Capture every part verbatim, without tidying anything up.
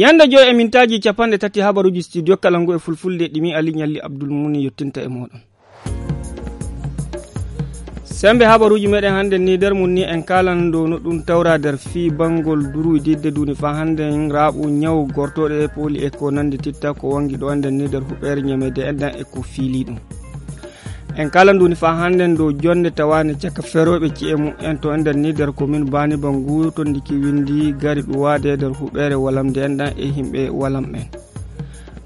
Yande joy e mintaaji capanɗe tati habaruuji studio kala ngu e fulfulde ɗimi Ali Ñalli Abdul Muni yottinta e mooɗon. Sembe habaruuji meɗen hannde ni nder mum ni en kaalan dow no ɗum tawra nder fii banngol durwididde duuni faa hannde en raaɓu ñaw gortooɗe e pooli e ko nanndi titta ko wanngi ɗo enden ni nder huɓeere ñameede enɗan e ko fiilii ɗum. En kala nduuni faa hannden dow jonnde tawaande caka ferooɓe ci'e mum en to ender ni nder komin baani bangu to ndiki winndi gari ɗuwaade nder huɓeere walamde enɗan e yimɓe walam en.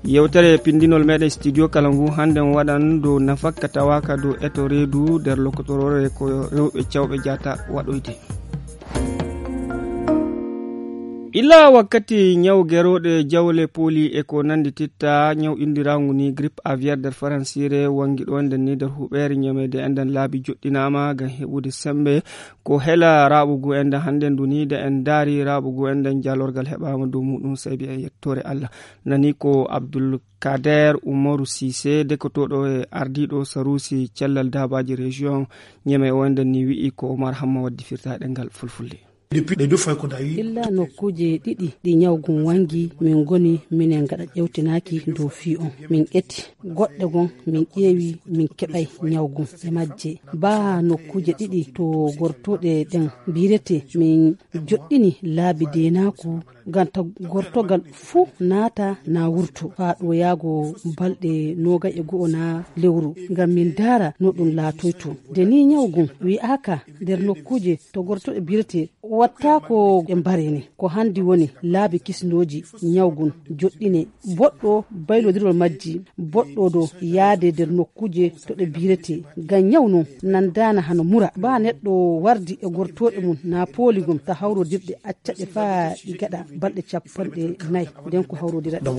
Yewtere pinndinol meɗen studio kala ngu hannden waɗan dow nafakka tawaaka dow eto reedu nder lokotoroore ko rewɓe cawɓe jaata waɗoyde. Illa wakkati ñaw gerooɗe jawle pooli e ko nanndi titta ñaw inndiraagu ni grippe aviaire nder faransiire wanngi ɗo enden ni nder huɓeere ñameede enden laabi joɗɗinaama ngam heɓude sembe ko hela raaɓugu enden hannde ndu ni nde en ndaari raaɓugu enden jaalorgal heɓaama dow muɗum saybi en yettoore Allah. Nani ko Abdul Kader Umaru Sise dekotooɗo e ardiiɗo saruusi cellal daabaaji région ñeme o enden ni wi'i ko Omar Hamma waddi firtaaɗe ngal fulfulde. Illa nokkuuje ɗiɗi ɗi ñawgun wanngi min ngoni minen ngaɗa ƴewtinaaki dow fii on. Min ƴetti goɗɗe gon min ƴeewi min keɓay ñawgun e majje. Baa nokkuuje ɗiɗi to gortuɗe ɗen mbirete min joɗɗini laabi deenaaku ngam ta gortogal fuu naata na wurto faa ɗo yaago balɗe noogay e go'o na lewru ngam min ndaara no ɗum laatoyto. Nde ni ñawgun wi'aaka nder nokkuuje to gortoɗe mbirete wattaako e mbareni ko hanndi woni laabi kisnooji ñawgun joɗɗine boɗɗo baylodirol majji boɗɗo do yaade nder nokkuuje to ɗe mbirete ngam ñaw non nandaana hano mura baa neɗɗo wardi e gortooɗe mum na pooli gom ta hawrodirɗe acca ɗe faa ɗi gaɗa balɗe capanɗe nayi nden ko hawrodira ɗe.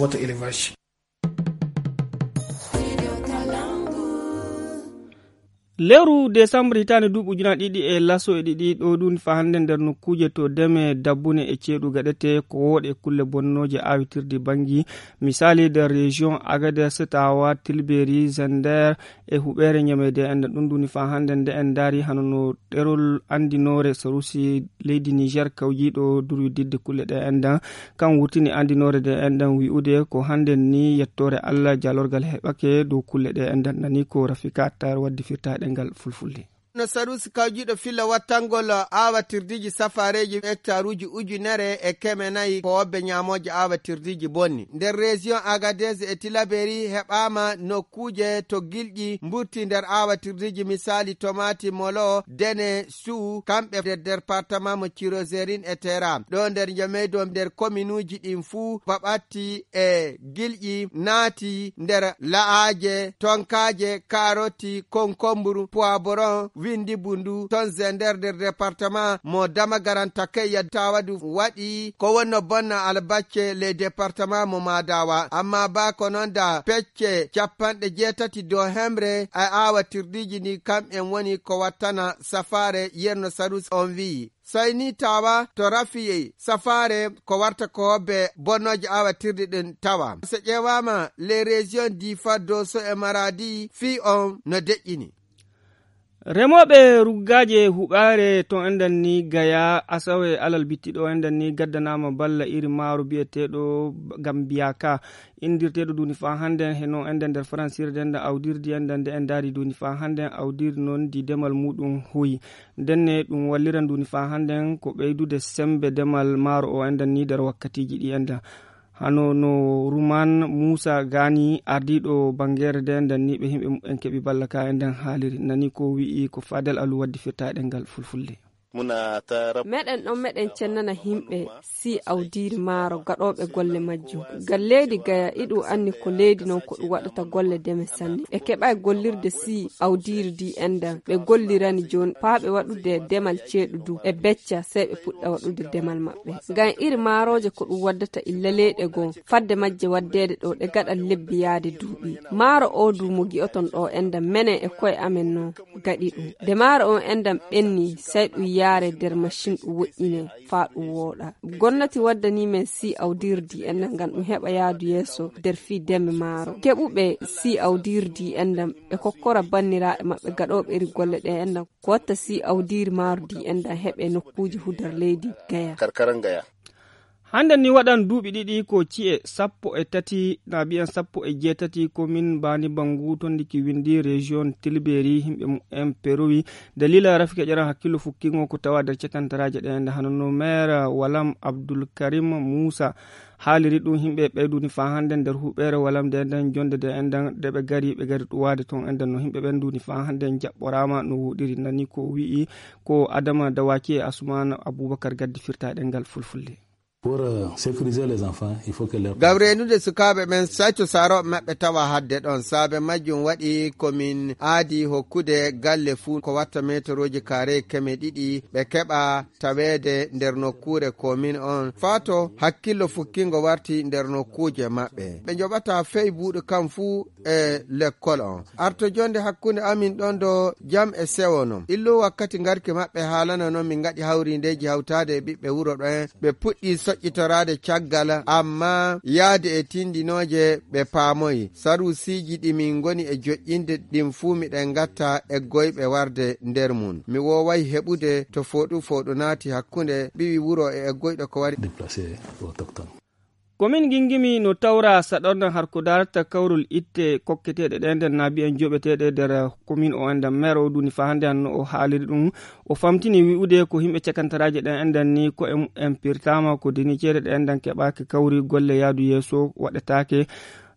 Lewru desambre hitaande duuɓi ujunaaji ɗiɗi e laso e ɗiɗi ɗo ɗum fa hannde nder nokkuuje to deme dabbune e ceeɗu gaɗete ko wooɗe kulle bonnooje awitirde banngi misaali nder région Agadez, Tawa, Tilberi, Zender e huɓeere ñameede enden ɗum duni fa hannde nde en ndaari hano no ɗerol anndinoore sarusi leydi Niger kawjiiɗo durwididde kulle ɗe enden kan wurtini anndinoore nde enden wi'ude ko hannde ni yettoore Allah jaalorgal heɓake dow kulle ɗe enden nani ko Rafika Attar waddi firtaaɗe ngal fulfulde. No sarusi kawjiiɗo filla wattangol aawatirdiiji safaareeji hektaruuji ujunere e keme nayi ko wobbe ñaamooje aawatirdiiji bonni nder région Agadez e Tilaberi heɓaama nokkuuje to gilƴi mburti nder aawatirdiiji misaali tomaati molo dene suu kamɓe nder département mo Tirozerin e Tera ɗo nder njameydo nder kominuuji ɗin fuu baɓatti e gilƴi naati nder la'aaje tonkaaje kaaroti konkomburu poiboron windi bundu ton zender nder département mo damagaran takayya tawadu waɗi ko wonno bonna albacce ley département mo madawa amma ba ko noon da pecce capanɗe jeetati dow hemre e aawatirdiiji ndi kam en woni ko wattana safaare yerno sarus on wi'i. Sayni tawa to rafiye safaare ko warta ko be bonnooje awatirɗe ɗin tawa so ƴeewaama les régions difa doso e maradi fii on no deƴƴini. Remooɓe ruggaaje huɓaare ton enɗan ni gaya asawe alal bitti ɗo enɗan ni gaddanaama balla iri maaro biyeteeɗo gambiyaka indirteeɗo duni fa hannden heno enɗan nder faransirde enɗan awdirdi enɗan nde en ndaari duni fa hannden awdirdi noon ndi demal muɗum hoyi. Ndenne ɗum walliran duni fa hannden ko ɓeydude semmbe demal maaro o enɗan ni nder wakkatiiji ɗi enɗan. Hano no Ruman Muusa Gaani ardiiɗo banngeere nde enɗan ni ɓe yimɓe muɓɓen keɓi balla ka enɗan haaliri nani ko wi'i ko Fadel Alu waddi firtaaɗe ngal fulfulde. Meɗen ɗon meɗen cennana yimɓe si awdiiri maaro gaɗooɓe golle majjum. Ngal leydi gaya iɗum anni ko leydi noon ko ɗum waɗata golle deme sanne. Ɓe keɓaay gollirde si awdiiri ndi enɗan ɓe gollirani jooni paaɓe waɗude demal ceeɗu du e becca sey ɓe puɗɗa waɗude demal maɓɓe. Ngam iri maarooje ko ɗum waddata illa leyɗe goo fadde majje waddeede ɗo ɗe gaɗa lebbi yaade duuɓi. Maaro oo du mo gi'oton ɗo enɗan menen e koye amen noon. Gaɗi ɗum de maaro on enɗan ɓenni sey ɗum yaare nder macin ɗum woƴƴine faa ɗum wooɗa. Gomnati waddanii men si awdirdi enɗan ngam ɗum heɓa yaadu yeeso nder fii deme maaro keɓuɓe si awdirdi enɗan ɓe kokkora banniraaɓe maɓɓe gaɗooɓe iri golle ɗe enɗan ko watta si awdiri maaro di enɗan heɓe nokkuuje hudar leydi gaya. Hannde ni waɗan duuɓi ɗiɗi ko ci'e sappo e tati na ɓiyan sappo e jeetati komin Bani Bangu tondiki windi rejiyon Tilberi, himɓe mumen perowi dalila rafike ƴeran hakkillo fukkingo ko tawa nder cekantaraaje ɗe ende. Hano no maire Walam Abdul Karim Musa haaliri ɗum, himɓe ɓeyduni faa hannde nder huɓeere Walam nde enden jonde nde enden nde ɓe gari, ɓe gari ɗuwaade toon enden no himɓe ɓen nduni faa hannde jaɓɓoraama no woɗiri. Nani ko wi'i ko Adama Dawaki e Asuman Abubakar gaddi firtaaɗe ngal fulfulde. Pour euh, sécuriser les enfants, il faut que leur... Ngam reenude sukaaɓe ɓen, sayto saarooɓe maɓɓe tawa hadde ɗon. Saabe majjum waɗi ko min aadi hokkude galle fuu ko watta meetorooji kaare keme ɗiɗi, ɓe keɓa taweede nder nokkuure komin on, faa to hakkillo fukkingo warti nder nokkuuje maɓɓe. Ɓe njoɓata fey buuɗu kam fuu e lekkol on. Arto jonde hakkunde amin ɗon do jam e sewo non. Illu wakkati ngarki maɓɓe haalana non min ngaɗi hawrindeeji hawtaade e ɓiɓɓe wuro ɗon. Ɓe puɗɗi soƴƴitoraade caggal, amma yaade e tindinooje ɓe paamoyi. Saruusiiji ɗi min ngoni e joƴƴinde ɗin fuu miɗen ngatta e goyɓe warde nder mun. Mi wooway heɓude to fooɗu fooɗu naati hakkunde ɓiwi wuro e eggoyɗo ko wari. Déplacé autochtone. Komin Gingimi no tawra saɗon har ko darata kawrol itte kokketeeɗe ɗen nden naabi en joɓeteeɗe nder komin o enden. Maire o duni fa hannde hanno o haaliri ɗum. O famtini wi'ude ko himɓe cakantaraaje ɗen enden ni ko en, en pirtama ko deni ceede ɗe enden keɓaaki kawri golle yaadu yeeso waɗetaake.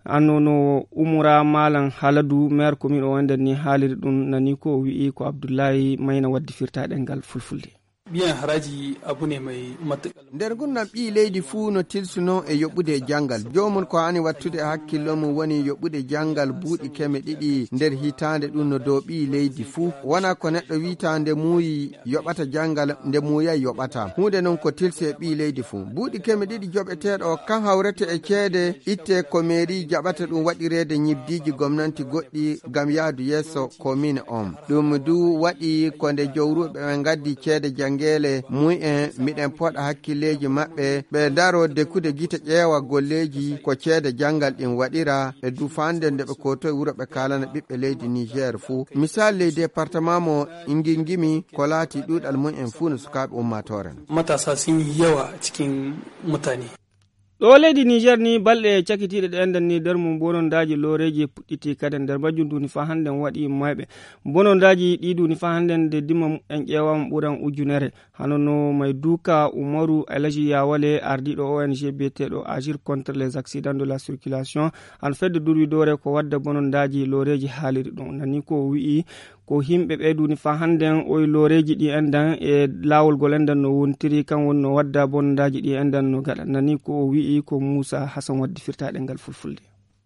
Anno no Umura Malam Haladu, maire komin o enden ni haaliri ɗum nani ko o wi'i ko Abdullahi Mayna waddi firtaaɗe ngal fulfulde. Biyan haraji abu ne mai matuƙar. Nder ngurndan ɓii leydi fuu no tilsuno e yoɓude janngal. Joomum ko haani wattude e hakkillo mum woni yoɓude janngal buuɗi keme ɗiɗi nder hitaande, ɗum no dow ɓii leydi fuu. Wona ko neɗɗo wi'ata nde muuyi yoɓata janngal, nde muuyay yoɓata. Huunde non ko tilsi e ɓii leydi fuu. Buuɗi keme ɗiɗi joɓeteeɗo kan hawrete e ceede itte ko meeri jaɓata ɗum waɗireede ñibdiiji gomnanti goɗɗi ngam yaadu yeeso komin on. Ɗum du waɗi ko nde jowruɓe ɓe ngaddi ceede janngeele mumen, miɗen poɗa hakkilleeji maɓɓe, ɓe ndaro dekkude gite ƴeewa golleeji ko ceede janngal ɗin waɗira, ɓe du faande nde ɓe kootoy wuro ɓe kaalana ɓiɓɓe leydi Niger fuu. Misal ley département mo Ingingimi ko laati ɗuuɗal mumen fuu no sukaaɓe ummaatoore no. Matasa sun yi yawa cikin mutane. Ɗo leydi Niger ni balɗe cakitiiɗe ɗe enden ni nder mum bonondaaji looreeji puɗɗiti kadi nder majjum duni fa hannden waɗi mayɓe. Bonondaaji ɗi duni fa hannden nde dima en ƴeewama ɓuran ujunere. Hano no may duuka Umaru Alaji Yawale, ardiiɗo O N G biyeteeɗo Agir contre les accidents de la circulation, an fedde durwidoore ko wadda bonondaaji looreeji haaliri ɗum. Nani ko o wi'i, ko himɓe ɓe duni fa hannden oy looreeji ɗi enden e laawol gol enden no wontiri, kan woni no wadda bonondaaji ɗi enden no gaɗa. Nani ko o wi'i ko Muusa Hasan waddi firtaaɗe ngal fulfulde.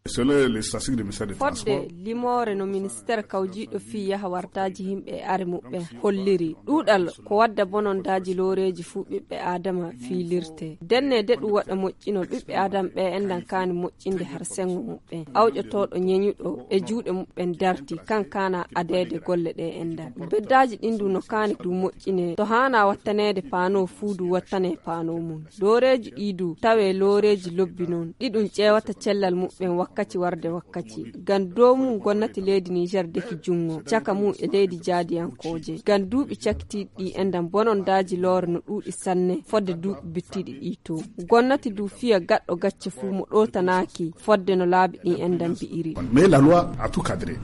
Selon les statistiques du ministère des Fodde transports, limoore no ministeer kawjiiɗo fii yaha wartaaji yimɓe e are muɓɓen holliri, ɗuuɗal ko wadda bonondaaji looreeji fuu ɓiɓɓe Aadama fiilirte. Denne de ɗum waɗa moƴƴinol ɓiɓɓe Aadama ɓe enɗan kaani moƴƴinde har sengo muɓɓen. Awƴotooɗo ñeñuɗo e juuɗe muɓɓen darti, kan kaana adeede golle ɗe enɗan. Beddaaji ɗin du no kaani du moƴƴine, to haana wattaneede paano fuu du wattane paano mum. Looreeji ɗi du tawe looreeji lobbi non, ɗi ɗum ƴeewata cellal muɓɓen wakkaci warde wakkaci. Ngam dow mum gomnati leydi Niger deki junngo, caka mum e leydi jaadiyankooje. Ngam duuɓi cakitiiɗi ɗi enɗan bonondaaji loore no ɗuuɗi sanne, fodde duuɓi bittiiɗi ɗi to. Gomnati du fiya gaɗɗo gacce fuu mo ɗootanaaki, fodde no laabi ɗi enɗan mbi'iri. Mais la loi a tout cadré.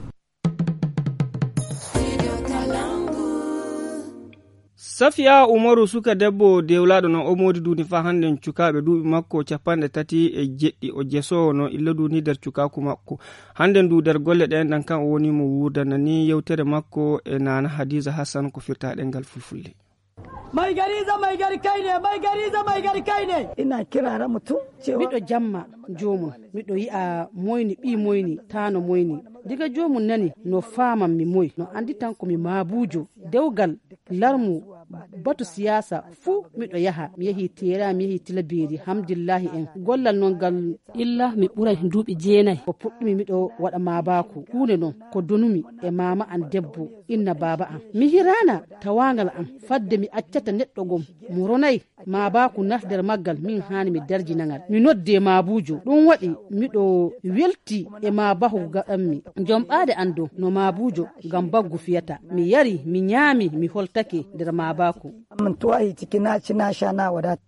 Safiya Umaru, suka debbo dewlaaɗo no o moodi duuni fa hannden cukaaɓe duuɓi makko capanɗe tati e jeɗɗi, o jesoowo no illa duuni nder cukaaku makko. Hannden du nder golle ɗe enɗan kan o woni mo wuurda nani yewtere makko e Nana Hadiza Hassan ko firtaaɗe ngal fulfulde. Mai gari za mai gari kai ne, mai gari za mai gari kai ne. Ina kirara mutum cewa miɗo jamma joomum, miɗo yi'a moyni, ɓii moyni, taano moyni. Diga joomum nani no faamammi moy, no annditan ko mi maabuujo. Dewgal, larmu, batu siyaasa fuu miɗo yaha. Mi yehii Teera, mi yehii Tilabeeri, Hamdillaahi en. Gollal non ngal illa mi ɓuray duuɓi jeenay. Ko puɗɗumi miɗo waɗa maabaaku. Huunde non ko donumi e maama an debbo, inna baaba an. Mi hiraana tawaangal an fadde mi accata neɗɗo gom mo ronay. Maabaaku nas nder maggal, min haani mi darjina ngal. Mi noddee maabuujo. Ɗum waɗi miɗo welti e maabaaku gaɗanmi. Jomɓaade an dow no maabuujo ngam baggu fiyata. Mi yari, mi ñaami, mi holtake nder maabaaku. Min tuwahi ciki na ci na sha na wadata.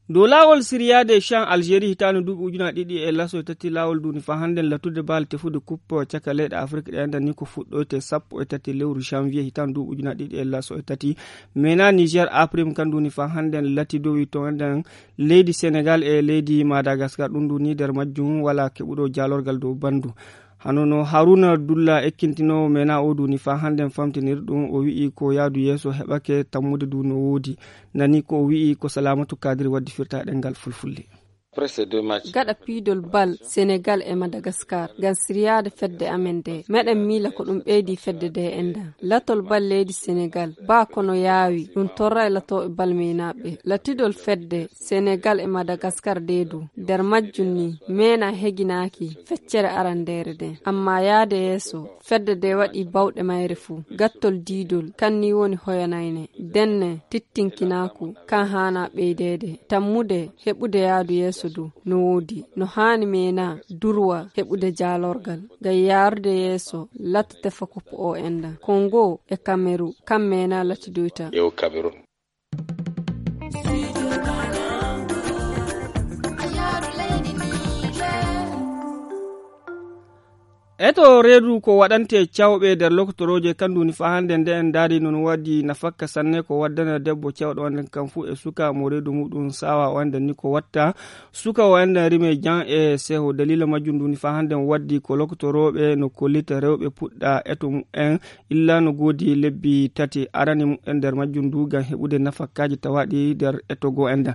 Dow laawol siriyaade chan algérie hitaande duuɓi ujunaaji ɗiɗi e laso e tati laawol duuni faa hannden lattude baal tefude kuppo caka leyɗe afrik ɗe enɗan ni ko fuɗɗoyte sappo e tati lewru janvier hitaande duuɓi ujunaaji ɗiɗi e laso e tati. Mena niger aprim kan duuni faa hannden latidowi to enɗan leydi senegal e leydi madagascar ɗum duuni nder majjum wala keɓuɗo jaalorgal dow bandu. Hano no haruna dulla ekkintinoowo mena o duuni faa hannden famtinir ɗum o wi'i ko yaadu yeeso heɓake tammude du no woodi. Nani ko o wi'i ko salamatu kadiri waddi firta e ɗengal fulfulde. Gaɗa piidol bal senegal e madagascar ngam siriyaade fedde amen nde meɗen miila ko ɗum ɓeydi fedde nde enɗan latol bal leydi senegal ba kono yaawi ɗum torra e latooɓe bal meenaaɓe latidol fedde senegal e madagascar nde du nder majjum ni meena heginaaki feccere arandeere nden amma yaade yeeso fedde nde waɗi bawɗe mayre fuu gattol diidol kan ni woni hoyanayne denne tittinkinaaku kan haana ɓeydeede tammude heɓude yaadu yeeso du no woodi no haani meena durwa heɓude jaalorgal ngam yaarude yeeso latta tefa koppo o enɗan kongo e kameru kan meena latidoyta. Eto reedu ko waɗante cawɓe nder lokotorooje kandu ni faa hannde nde en ndaari noon waɗi nafakka sanne ko waddana debbo cawɗo on kan fuu e suka mo reedu muɗum sawa o enden ni ko watta suka o enden rime jan e seho dalila majjum ndu ni faa hannde waddi ko lokotorooɓe no kollita rewɓe puɗɗa eto mumen illa no goodi lebbi tati arani mumen nder majjum ndu ngam heɓude nafakkaaji tawaaɗi nder eto goo enden.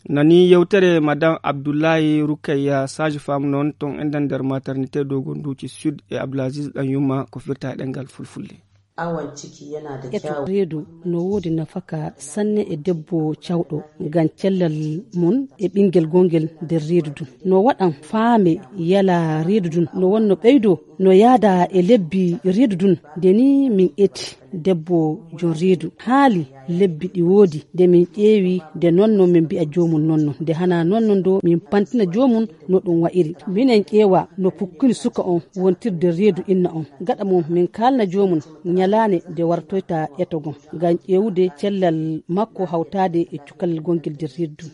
Nani yewtere madame abdullahi rukayya sage femme noon toon enden nder maternité dogon duuci sud e abdoulaziz ɗan yumma ko firta e ɗengal fulfulde. Awon ciki yana da kyawu. Reedu no woodi nafaka sanne e debbo cawɗo ngam cellal mum e ɓingel gongel nder reedu dun no waɗan faame yala reedu dun no wonno ɓeydo no yaada e lebbi reedu dun nde ni min eti debbo jon reedu haali lebbi ɗi woodi nde min ƴeewi nde nonno min mbi'a joomum nonno nde hana nonno ndo min pantina joomum no ɗum wa'iri minen ƴeewa no pukkuni suka on wontirde reedu inna on gaɗa mum min kaalna joomum ñalaande nde wartoyta etogo ngam ƴeewude cellal makko hawtaade e cukalel gongel nder reedu.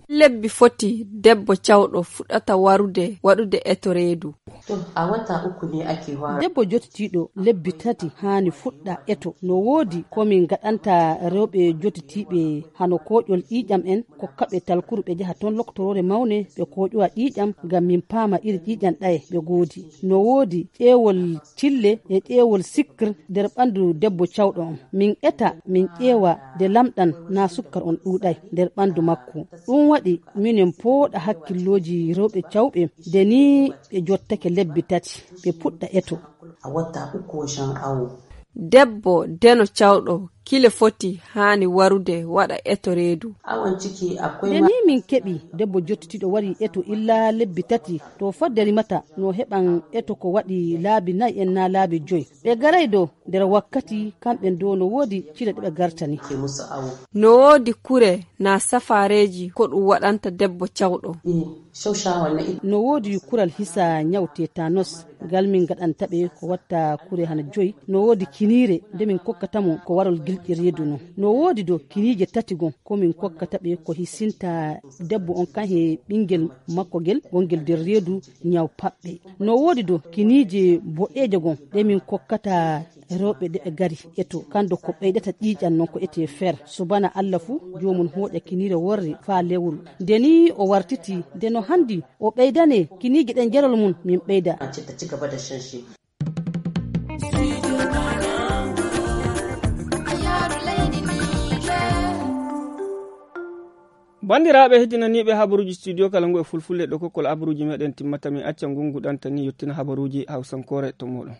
Lebbi foti debbo cawɗo fuɗɗata warude waɗude eto reedu. Debbo jottitiiɗo lebbi tati haani fuɗɗa eto no woodi ko min ngaɗanta rewɓe jottitiiɓe hano kooƴol ƴiiƴam en kokkaɓe talkuru ɓe njaha toon loktoroore mawne ɓe kooƴowa ƴiiƴam ngam min paama iri ƴiiƴam ɗaye ɓe ngoodi no woodi ƴeewol cille e ƴeewol sikkir nder ɓanndu debbo cawɗo on min eta min ƴeewa nde lamɗan naa sukkar on ɗuuɗay nder ɓanndu makko. Ɗum waɗi minen pooɗa hakkillooji rewɓe cawɓe nde nii ɓe jottake lebbi tati ɓe puɗɗa eto. Debbo deno cawɗo kile foti haani warude waɗa eto reedu. Nde nii min keɓi debbo jottitiiɗo wari eto illa lebbi tati to fodde rimata no heɓan eto ko waɗi laabi nayi en naa laabi joyi ɓe garay do nder wakkati kamɓen do no woodi cile ɗe ɓe gartani. No woodi kure na safaareeji ko ɗum waɗanta debbo cawɗo. No woodi kural hisa ñaw tetanos ngal min ngaɗanta ɓe ko watta kure hana joyi no woodi kiniire nde min kokkata mo ko warol gilƴi reedu non no woodi do kiniije tati gon ko min kokkata ɓe ko hisinta debbo on kan he ɓingel makko gel wongel nder reedu ñaw paɓɓe no woodi do kiniije boɗeeje gon ɗe min kokkata rewɓe ɗe ɓe gari eto kando ko ɓeydata ƴiiƴan non ko ete fer subana allah fuu joomum hooƴa kiniire worre faa lewru nde ni o wartiti nde no handi o ɓeydane kiniije ɗen jarol mum min ɓeyda. Banndiraaɓe heddinaniiɓe habaruuji studio kala ngu e fulfulde ɗo kokkol habaruuji meɗen timmata min acca ngungu ɗantani yettina habaruuji hawsankoore to moɗon.